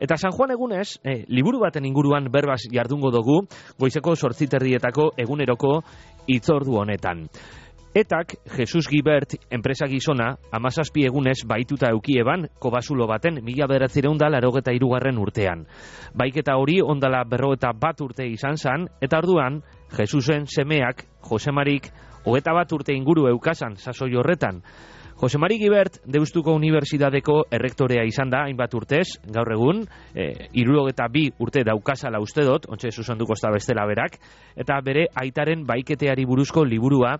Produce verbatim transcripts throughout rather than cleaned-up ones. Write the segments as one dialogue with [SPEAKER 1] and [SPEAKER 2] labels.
[SPEAKER 1] Eta San Juan egunez, eh, liburu baten inguruan berbaz jardungo dugu, goizeko zortziterdietako eguneroko hitzordu honetan. Etak, Jesus Gibert enpresa gizona, amazazpi egunez baituta eukieban, kobasulo baten mila bederatzireun da larogeta irugarren urtean. Baiketa hori ondala berrogeta bat urte izan zan, eta orduan, Jesusen semeak, Josemarik, hogeta bat urte inguru eukasan sasoi horretan. Josemari Gibert, Deustuko Unibertsitateko errektorea izan da, hainbat urtez, gaur egun, e, hirurogeta bi urte daukazala uste dut, ontsa zuzenduko ez da bestela berak, eta bere aitaren baiketeari buruzko liburua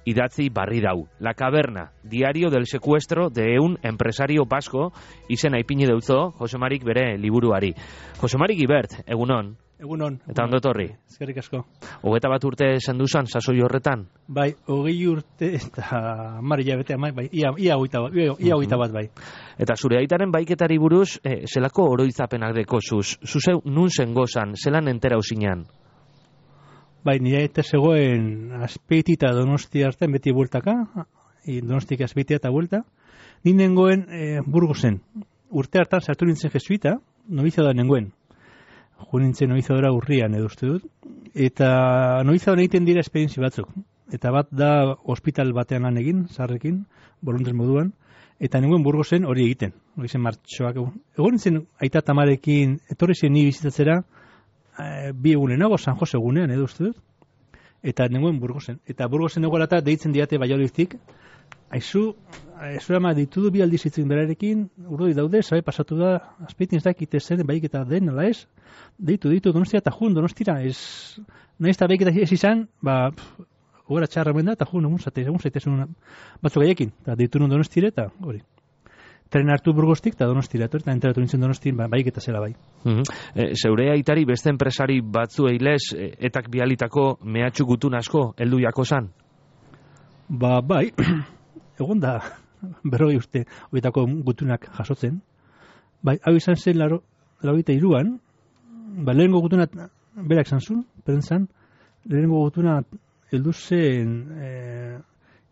[SPEAKER 1] idatzi barri dau. La Caverna, diario del secuestro de un empresario vasco, izena ipini deutzo, Josemarik bere liburuari. Josemari Gibert, egunon.
[SPEAKER 2] Egunon.
[SPEAKER 1] Eta ondo etorri.
[SPEAKER 2] Eskerrik asko.
[SPEAKER 1] Hogeta bat urte senduzan, sasoi horretan?
[SPEAKER 2] Bai, hogei urte eta hamar hilabete, bai, ia, ia hogeita bat, ia hogeita bat, bai.
[SPEAKER 1] Eta zure aitaren baiketari buruz, eh, zelako oroitzapenak deko zuz? Zuzeu nun zengozan, zelan entera usinan?
[SPEAKER 2] Bai, nire eta zegoen Azpeiti eta Donostia artean beti bueltaka, Donostik Azpeitia eta buelta. Ni nengoen e, Burgosen. Urte hartan sartu nintzen jesuita, novizioa da nengoen. Jo nintzen novizioa urrian edo uste dut. Eta novizioa egiten dira esperientzi batzuk. Eta bat da hospital batean lan egin, zarrekin, boluntes moduan. Eta nengoen Burgosen hori egiten. Hori zen martxoak. Egon nintzen aita tamarekin, etorri zen ni bizitatzera, bi egunenago, San Jose egunean, edo uste dut, eta nengoen Burgosen. Eta Burgosen egoelata deitzen diate Baioliztik, aizu, aizu ama ditudu bi aldiz itzen berarekin, urdoi daude, sabe pasatu da, Azpeitin ez dakite zen, baik eta den, ala ez, deitu, deitu, Donostia eta jun, Donostira, ez, nahiz eta baik eta ez izan, ba, hogera txarra da, eta jun, egun zate, egun zaitezun batzuk gaiekin, eta deitu nun Donostire, eta hori. Tren hartu Burgostik eta Donostira, eta enteratu nintzen Donostin, ba, baik eta zela bai.
[SPEAKER 1] Uh-huh. e, zeure aitari beste enpresari batzu eilez, e, etak bialitako mehatxu gutun asko, heldu jako zan?
[SPEAKER 2] Ba, bai, egon da, berroi uste, horietako gutunak jasotzen. Bai, hau izan zen laro, laro eta iruan, ba, lehenengo gutuna berak zantzun, perentzan, lehenengo gutuna heldu zen e,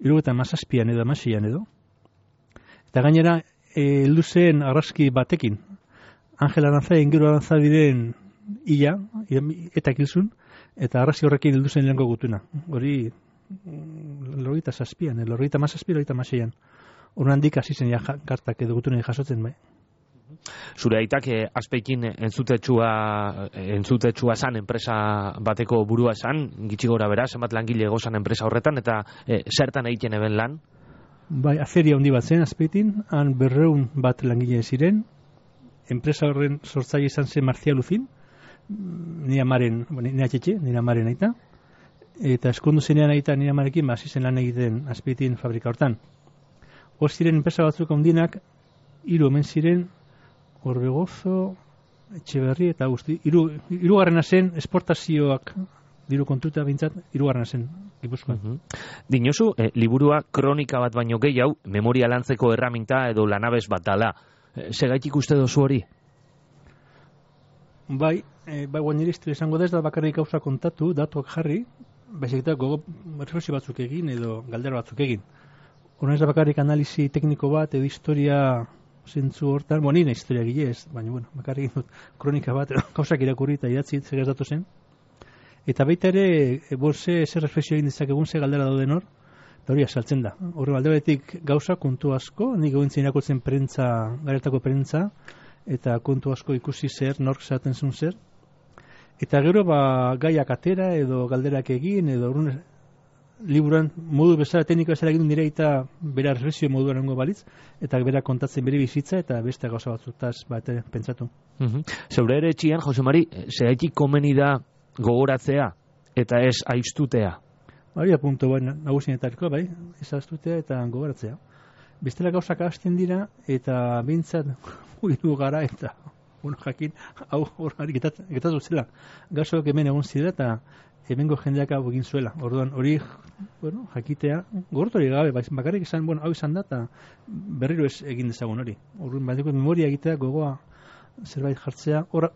[SPEAKER 2] iru eta mazazpian edo, amasian edo. Eta gainera, heldu zen argazki batekin, Angel Aranza, Ingero Aranza diren ia, eta kilzun, eta argazki horrekin heldu zen lehenko gutuna. Hori, lorita zazpian, lorita mazazpi, lorita mazeian. Horren handik hasi zen ja kartak edo gutunei jasotzen bai.
[SPEAKER 1] Zure aitak eh, Azpeikin entzutetsua, entzutetsua zan, enpresa bateko burua zan, gitxi gora bera, zenbat langile gozan enpresa horretan, eta eh, zertan egiten eben lan?
[SPEAKER 2] Bai, aferia handi bat zen Azpeitin, han berreun bat langile ziren, enpresa horren sortzaile izan zen Marcia Luzin, nire amaren, nire atxetxe, nire amaren aita, eta eskondu zenean aita nire amarekin, hasi zen lan egiten Azpeitin fabrika hortan. Hor ziren enpresa batzuk handinak, hiru omen ziren, Orbegozo, Etxeberri eta guzti, hiru hirugarrena zen esportazioak diru kontuta bintzat, hirugarrena zen Gipuzkoan.
[SPEAKER 1] Uh-huh. Dinozu, eh, liburua kronika bat baino gehiago, memoria lantzeko erraminta edo lanabez bat dala. Eh, Segaitik uste dozu hori?
[SPEAKER 2] Bai, eh, bai guain nire izango da ez da bakarrik gauza kontatu, datuak jarri, baizik eta gogo reflexio batzuk egin edo galdera batzuk egin. Horren ez da bakarrik analizi tekniko bat edo historia zentzu hortan, bueno, nire historia gile ez, baina bueno, bakarrik dut kronika bat, gauzak irakurri eta idatzi zegaz datu zen. Eta baita ere, borze, zer reflexio egin dezakegun, ze galdera dauden hor, eta hori asaltzen da. Horre aldebetik gauza, kontu asko, nik egointzen irakurtzen prentza, garetako prentza, eta kontu asko ikusi zer, nork zaten zuen zer. Eta gero, ba, gaiak atera, edo galderak egin, edo horren liburan modu bezala, tekniko bezala egin nire eta bera reflexio moduan nengo balitz, eta bera kontatzen bere bizitza, eta beste gauza batzutaz, bat pentsatu.
[SPEAKER 1] Uh-huh. Zeure ere etxian, Josemari, zehaitik komeni da gogoratzea eta ez aiztutea?
[SPEAKER 2] Hori puntu bai, nagusienetariko, bai, ez aiztutea eta gogoratzea. Bestela gauzak hasten dira eta bintzat huidu gara eta bueno, jakin, hau horri getatu zela. Gauzak hemen egon zidela eta hemengo jendeak hau egin zuela. Orduan hori, bueno, jakitea, gogortu hori gabe, bakarrik izan, bueno, hau izan da eta berriro ez egin dezagun hori. Orduan, bat memoria egitea, gogoa zerbait jartzea, hor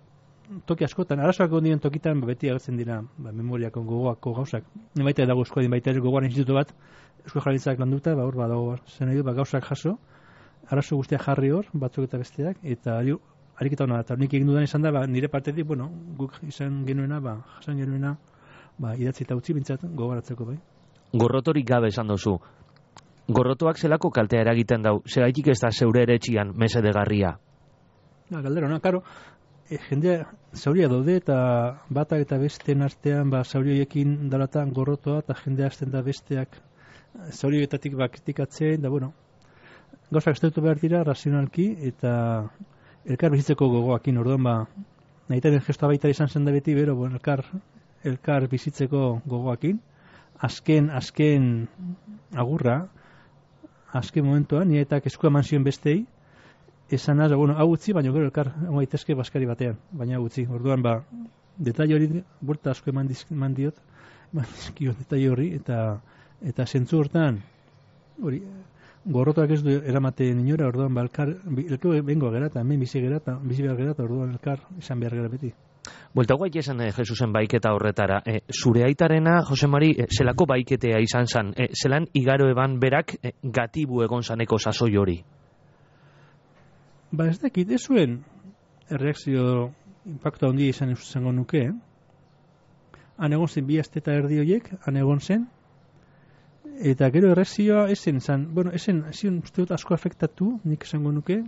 [SPEAKER 2] toki askotan, arazoak ondien tokitan beti agertzen dira ba, memoriako gogoako gauzak. Ni baita dago eskuadin baita ere gogoan institutu bat, Eusko Jaurlaritzak landuta, ba hor badago zen edo ba gauzak jaso, arazo guztiak jarri hor, batzuk eta besteak, eta ariketa hona, eta nik egin dudan izan da, ba, nire partetik, bueno, guk izan genuena, ba, jasan genuena, ba, idatzi eta utzi bintzat gogaratzeko, bai.
[SPEAKER 1] Gorrotorik gabe esan duzu. Gorrotoak zelako kaltea eragiten dau, segaitik ez da zeure ere txian mesedegarria?
[SPEAKER 2] Ja, galdera, no? Karo, e, jendea zauria daude eta batak eta besteen artean, ba, zaurioiekin dalatan gorrotoa eta jendea azten da besteak zaurioetatik ba, kritikatzen, da, bueno, gauzak estautu behar dira, razionalki, eta elkar bizitzeko gogoakin, orduan, ba, nahitaren gestoa baita izan zen da beti, bero, bueno, elkar, elkar bizitzeko gogoakin, azken, azken agurra, azken momentuan, nire eta eskua eman zion bestei, esan az, bueno, hau utzi, baina gero elkar gaitezke baskari batean, baina hau utzi. Orduan, ba, detaile hori, buelta asko eman, diz, eman diot, eman dizkiot detaile hori, eta eta zentzu hortan, hori, gorrotoak ez du eramaten inora, orduan, ba, elkar, elkar bengo gera, eta hemen bizi gera, eta bizi behar gera, eta orduan elkar izan behar gera beti.
[SPEAKER 1] Buelta guai esan eh, Jesusen baiketa horretara. Eh, zure aitarena, Jose Mari, eh, zelako baiketea izan zan? Eh, zelan igaro eban berak eh, gatibu egon zaneko sasoi hori?
[SPEAKER 2] Ba ez dakit, ez zuen erreakzio impacto handia izan izango nuke. Eh? Han egon zen bi aste eta erdi horiek, han egon zen. Eta gero erreakzioa esen zan, bueno, esen, zion uste dut asko afektatu, nik izango nuke.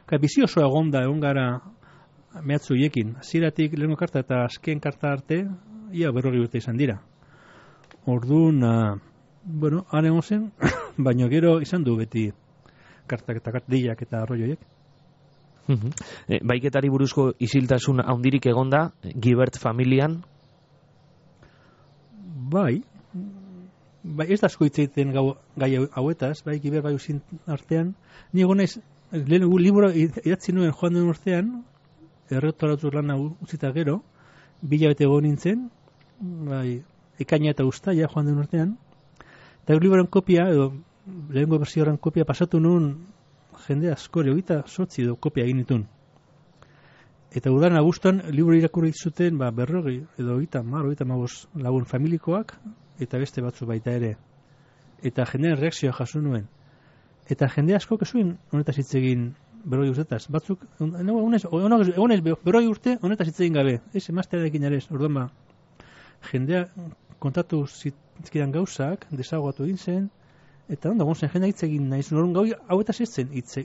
[SPEAKER 2] Ka bizi oso egon da, egon gara mehatzu hiekin. Ziratik lehenko karta eta azken karta arte, ia berrogi urte izan dira. Orduan, uh, bueno, han egon zen, baina gero izan du beti kartak eta kartillak eta arroioiek.
[SPEAKER 1] E, baiketari buruzko isiltasun handirik egonda, Gibert familian?
[SPEAKER 2] Bai, bai ez da asko hitz egiten gai hauetaz, bai Gibert bai usin artean, ni egonez, lehen libro idatzi nuen joan den urtean, errektoratu lana utzita gero, bila bete egon nintzen, bai, ekaina eta ustaia joan den urtean, eta libroan kopia, edo lehenko bersioaren kopia pasatu nuen jende askore, hogeita sortzi edo kopia egin ditun. Eta udan abuztuan libro irakurri zuten ba, berrogei edo hogeita mar, hogeita mabos lagun familikoak, eta beste batzu baita ere. Eta jendean reakzioa jaso nuen. Eta jende asko kesuen honetaz hitz egin berrogei urtetaz. Batzuk, egonez berrogei urte honetaz hitz egin gabe. Ez emaztearekin ere ez. Orduan ba, jendea kontatu zitzkidan gauzak, desagatu egin zen, eta onda gontzen jendea hitz egin nahi zuen. Orduan gau hauetaz ez zen hitz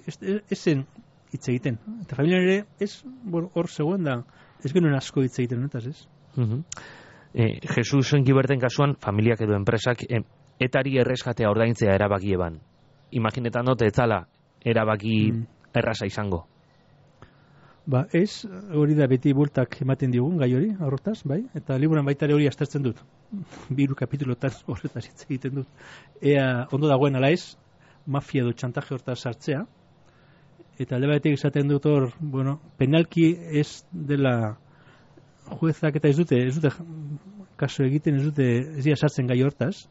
[SPEAKER 2] zen hitz egiten. Eta familian ere ez, bueno, hor zegoen da, ez genuen asko hitz egiten honetaz ez.
[SPEAKER 1] Uh-huh. eh, Jesus Giberten kasuan, familiak edo enpresak, eh, etari erreskatea ordaintzea erabaki eban. Imaginetan dut etzala erabaki mm. erraza izango.
[SPEAKER 2] Ba ez, hori da beti bultak ematen digun gai hori, horretaz, bai? Eta liburan baitare hori aztertzen dut. Biru kapitulotan horretaz hitz egiten dut. Ea ondo dagoen ala ez, mafia edo txantaje hortaz sartzea. Eta alde batetik esaten dut hor, bueno, penalki ez dela juezak eta ez dute, ez dute kaso egiten, ez dute ez dira sartzen gai hortaz.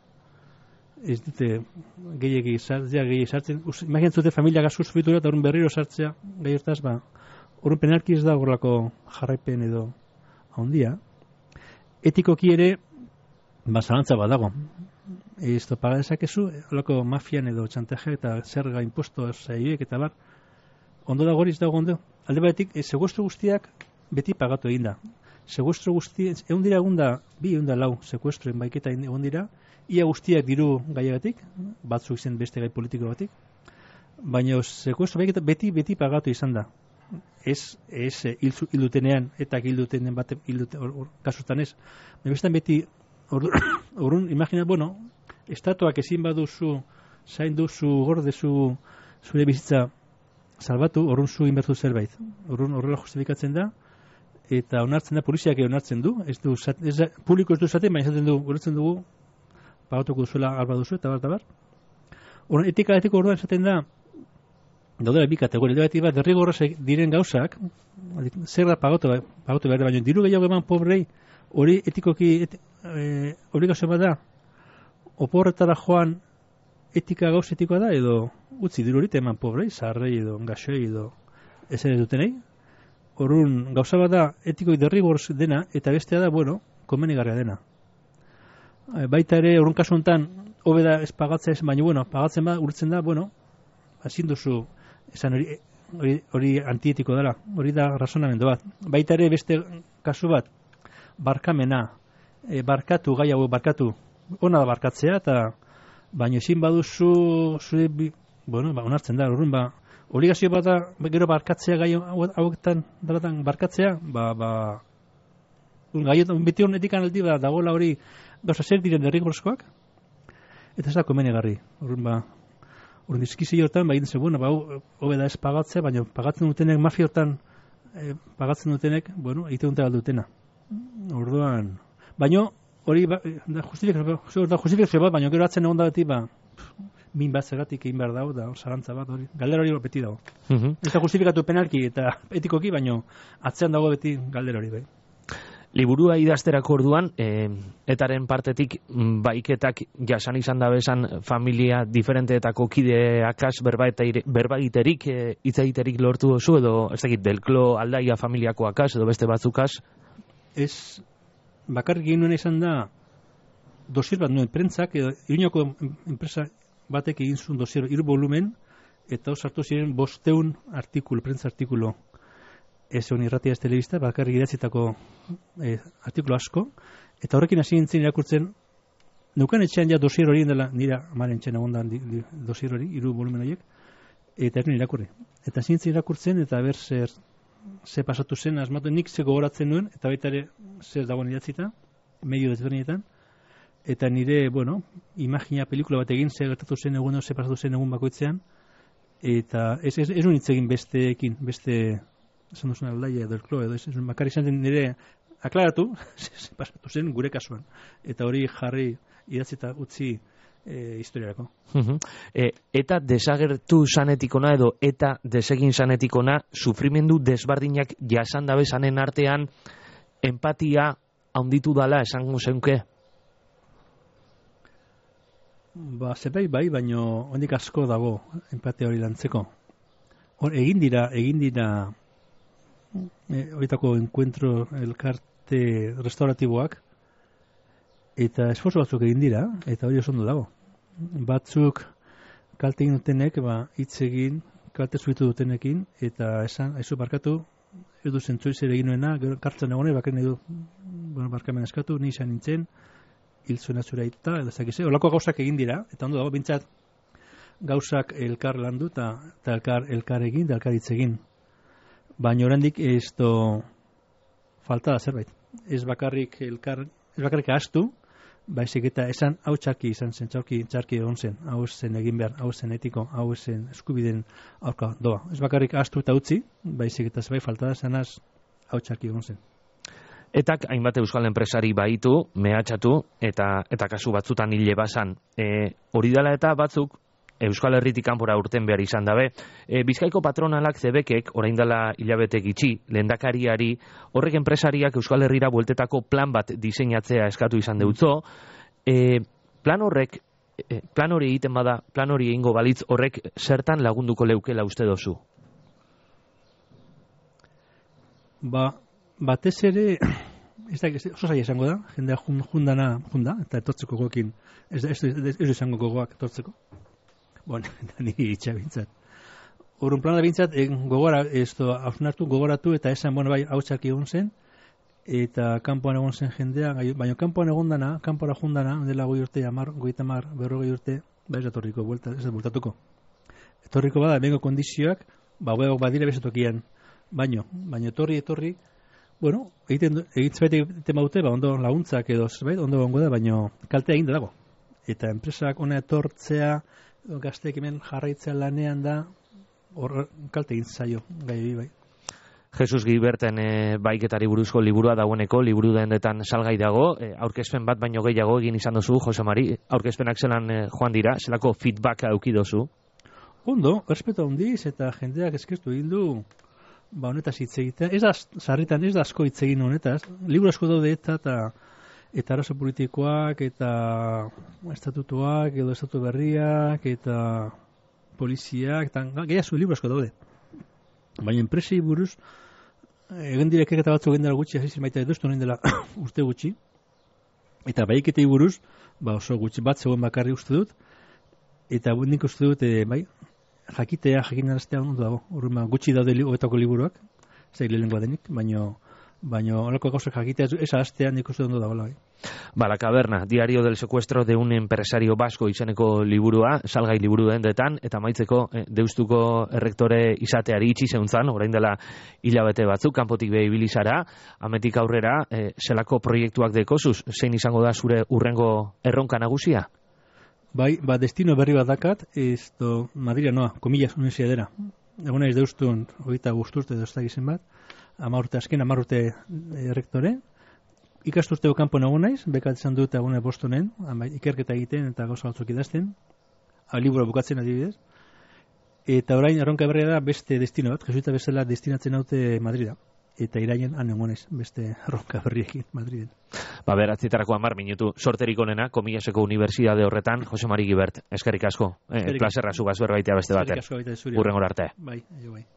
[SPEAKER 2] Ez dute gehiagi sartzea, gehiagi sartzen. Imaginatzen zute familia gazu zubitura eta horren berriro sartzea gai hortaz, ba, horren penalki ez da horrelako jarraipen edo handia. Etikoki ere, ba, zalantza bat dago. Ez topaga dezakezu, horrelako mafian edo txantaje eta zerga imposto zaioek eta bar, ondo dago hori ez dago ondo. Alde batetik, e, secuestro guztiak beti pagatu egin da. Secuestro guztiak, egun dira egun da, bi egun da lau secuestroen baiketa egun dira, ia guztiak diru gaiagatik, batzuk izen beste gai politiko batik, baina secuestro baiketa beti beti pagatu izan da. Ez, ez hildutenean, eta hildutenen bat, hilduten, or, or, kasutan ez. Baina bestan beti, orrun, imagina, bueno, estatuak ezin baduzu, zain duzu, gordezu, zure bizitza salbatu, orrun zu inbertu zerbait. Orrun horrela justifikatzen da, eta onartzen da, poliziak onartzen du, ez du, ez da, publiko ez du zaten, baina esaten du, goretzen dugu, pagatuko duzuela alba duzu, eta bar, eta bar. Orrun, etika etiko orduan esaten da, daudela bi kategoria, edo bat, derrigorraz diren gauzak, zer da pagatu, pagatu behar, baina diru gehiago eman pobrei, hori etikoki, et, e, obligazio bat da, oporretara joan etika gauz etikoa da, edo utzi diru hori eman pobrei, zaharrei edo gaxoi edo ez ere dutenei. Horun gauza bat da etikoi derrigorraz dena, eta bestea da, bueno, komenigarria dena. Baita ere, horren kasu honetan, hobe da ez pagatzea ez, baina, bueno, pagatzen ba, urtzen da, bueno, ezin duzu, esan hori, hori, hori antietiko dela, hori da razonamendu bat. Baita ere beste kasu bat, barkamena, e, barkatu, gai hau barkatu, ona da barkatzea, eta baina ezin baduzu, zure, bueno, ba, onartzen da, horren, ba, obligazio bat da, gero barkatzea gai hauetan, daratan barkatzea, ba, ba, gaiotan, beti honetik analdi, ba, dagoela hori, gauza zer diren derrigorezkoak, eta ez da komenegarri, horren, ba, horren dizkizi hortan, ba, egiten ze, bueno, ba, hobe da ez pagatzea, baina pagatzen dutenek, mafiotan, eh, pagatzen dutenek, bueno, egiten dute galdutena. Orduan, baina, hori, ba, da justifikazio bat, baina gero atzen egon da beti, ba, min bat zergatik egin behar dago, da, zarantza bat, hori, galdera hori beti dago. Uh-huh. Ez da justifikatu penalki eta etikoki, baina atzean dago beti galdera hori, bai.
[SPEAKER 1] Liburua idazterako orduan, e, etaren partetik baiketak jasan izan da bezan familia diferenteetako kideakaz berbaiterik, e, itzaiterik lortu dozu, edo ez dakit, delklo aldaia familiakoakaz, edo beste batzukaz?
[SPEAKER 2] Ez, bakarrik egin nuen izan da, dosier bat nuen prentzak, edo Iruñako enpresa batek egin zuen dosier, hiru volumen, eta hor sartu ziren bosteun artikulu, prentza artikulo. Ez honi irratia ez telebista, bakarrik idatzitako eh, artikulu asko, eta horrekin hasi nintzen irakurtzen, neukan etxean ja dosier hori dela, nira amaren txena ondan dosier hori, hiru volumen horiek, eta ez nire irakurri. Eta hasi nintzen irakurtzen, eta ber zer, ze pasatu zen, asmatu nik ze gogoratzen nuen, eta baita ere zer dagoen idatzita, medio desberdinetan, eta nire, bueno, imagina pelikula bat egin, ze gertatu zen egun, ze pasatu zen egun bakoitzean, eta ez, ez, ez unitz egin besteekin, beste, esan duzun aldaia edo elklo, edo ez, bakarri izan den nire aklaratu, ze pasatu zen gure kasuan, eta hori jarri idatzita utzi e, historiarako.
[SPEAKER 1] Uh-huh. e, eta desagertu sanetikona edo eta desegin sanetikona, sufrimendu desbardinak jasan dabe zanen artean, empatia handitu dala esango zeunke?
[SPEAKER 2] Ba, zerbait bai, baino hondik asko dago empatia hori lantzeko. Hor, egin dira, egin dira e, horietako enkuentro elkarte restauratiboak, eta esforzo batzuk egin dira, eta hori oso ondo dago. Batzuk kalte egin dutenek, ba, hitz egin, kalte zuitu dutenekin, eta esan, aizu barkatu, edu zentzuiz ere egin nuena, gero kartzen egone, bakar nahi du, bueno, barkamen eskatu, ni izan nintzen, hil zuena zura eta, edo zakize, olako gauzak egin dira, eta ondo dago, bintzat, gauzak elkar landu, eta elkar, elkar egin, da elkar hitz egin. Baina oraindik ez do falta da zerbait. Ez bakarrik elkar, ez bakarrik ahaztu, baizik eta esan hau txarki izan zen, txarki, txarki egon zen, hau zen egin behar, hau zen etiko, hau zen eskubiden aurka doa. Ez bakarrik ahaztu eta utzi, baizik eta zerbait falta da zenaz hau txarki egon zen.
[SPEAKER 1] Etak hainbat euskal enpresari baitu, mehatxatu, eta eta kasu batzutan hile basan. E, hori dela eta batzuk, Euskal Herritik kanpora urten behar izan dabe. E, Bizkaiko patronalak zebekek, orain dela hilabete gitxi, lehendakariari, horrek enpresariak Euskal Herrira bueltetako plan bat diseinatzea eskatu izan deutzo. E, plan horrek, e, plan hori egiten bada, plan hori egingo balitz horrek zertan lagunduko leukela uste dozu?
[SPEAKER 2] Ba, batez ere, ez da, oso zaila esango da, jendea jundana, junda, eta etortzeko goekin, ez da, ez da izango gogoak etortzeko. Bueno, eta niri itxabintzat. Horren plana da bintzat, gogora, ez da, hausnartu, gogoratu, eta esan, bueno, bai, hau txarki egon zen, eta kanpoan egon zen jendea, baina kanpoan egon dana, kanpora jundana, dela goi urte, amar, goita mar, berrogei urte, ba ez da torriko, ez da bultatuko. Etorriko bada, bengo kondizioak, ba, beok badire bezatokian, baino, baina etorri, etorri, bueno, egiten, egiten egiten baute, ba, ondo laguntzak edo, zerbait, ondo gongo da, baina kaltea egin dago. Eta enpresak ona etortzea, gazteek hemen jarraitzea lanean da, hor kalte egin zaio, gai bai.
[SPEAKER 1] Jesus Giberten e, baiketari buruzko liburua dagoeneko, liburu dendetan salgai dago, e, aurkezpen bat baino gehiago egin izan dozu, Jose Mari, aurkezpenak zelan e, joan dira, zelako feedbacka eduki dozu?
[SPEAKER 2] Ondo, errespetu handiz, eta jendeak eskertu egin du, ba honetaz hitz egitea, ez da, sarritan ez da asko hitz egin honetaz, liburu asko daude eta, eta eta arazo politikoak, eta estatutuak, edo estatu berriak, eta poliziak, eta gehiago liburu asko daude. Baina enpresei buruz, egin direk eta batzuk egin dela gutxi, hasi maita edoztu egin dela urte gutxi, eta baiketei buruz, ba oso gutxi bat zegoen bakarri uste dut, eta nik uste dut, e, bai, jakitea, jakinaraztea ondo dago. Urruma gutxi daude li, hoetako liburuak, zei lehenengoa denik, baino baino horreko gauzak jakitea ez astean nik uste ondo dagoela.
[SPEAKER 1] Ba, La Caverna, Diario del secuestro de un empresario vasco izeneko liburua, salgai liburu dendetan, eta maitzeko eh, Deustuko errektore izateari itxi zeuntzan, orain dela hilabete batzuk, kanpotik behi bilizara, ametik aurrera, eh, zelako proiektuak dekozuz, zein izango da zure urrengo erronka nagusia?
[SPEAKER 2] Bai, ba, destino berri bat dakat, ez do, Madrila noa, komillas, universiadera. Egun naiz Deustun, hogeita guzturte doztak izen bat, ama urte, azken ama urte errektore, ikasturteo kanpo nago naiz, bekatzen dut egune Bostonen, ikerketa egiten eta gauza batzuk idazten, libura bukatzen adibidez, eta orain erronka berria da beste destino bat, jesuita bezala destinatzen haute Madrida, eta iraien han egon naiz, beste erronka berriekin Madriden.
[SPEAKER 1] Ba, beratzitarako hamar minutu, sorterik onena, Komillaseko Unibertsitate horretan, Jose Mari Gibert, eskerrik asko, eh, plazerra zubaz berbaitea beste baten, urrengor arte.
[SPEAKER 2] Bai, bai.